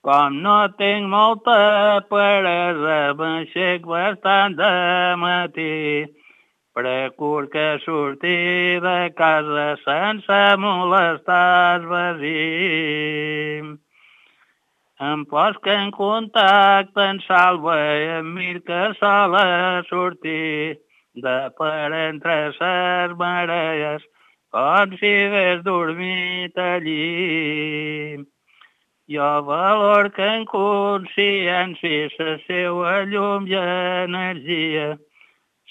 Com no tinc molta peresa, m'aixec bastant de matí. Procur que surti de casa sense molestar el veí. Em posc en contacte en Salva i em mir que sola sortir de per entre ses marees, com si hagués dormit allí. Jo valor que en consciència la seua llum i energia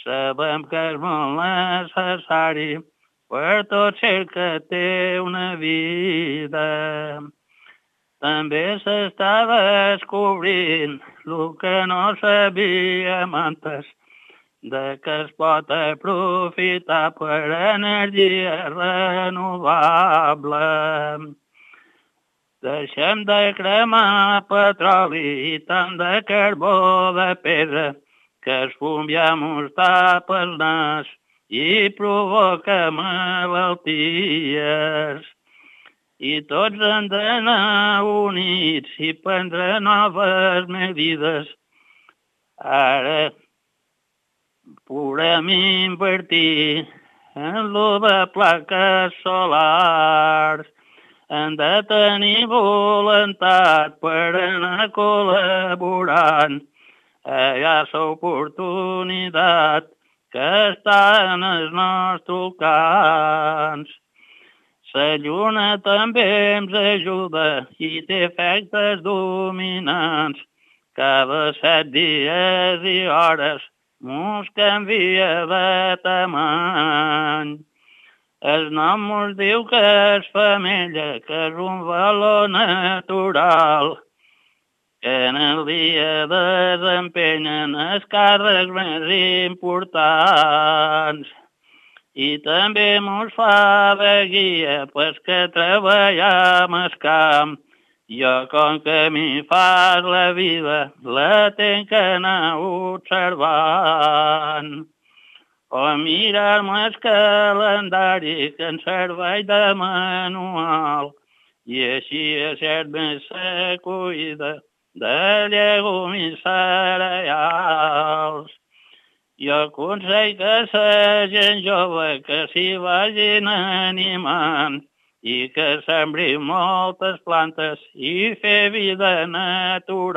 sabem que és molt necessari per tot ser que té una vida. També s'està descobrint el que no sabíem antes, de que es pot aprofitar per energia renovable. Deixem de cremar petroli i tant de carbó de pedra, que el fum ja mos tapa el nas i provoca malalties. I tots hem d'anar units i prendre noves medides. Ara podem invertir en lo de plaques solars. Hem de tenir voluntat per anar col·laborant. Hi ha l'oportunitat que està en els nostres camps. La lluna també ens ajuda i té efectes dominants. Cada 7 dies i hores mos canvia de tamany. El nom mos diu que és femella, que és un valor natural, que en el dia desempenyen els càrrecs més importants. I també mos fa de guia pels que treballem al camp. Jo, com que m'hi fas la vida, la tenc que anar observant. O mirar-me el calendari que en serveix de manual. I així ser més la cuida de llegums i cereals. Jo aconsell que la gent jove que s'hi vagin animant i que sembrin moltes plantes i fer vida natural.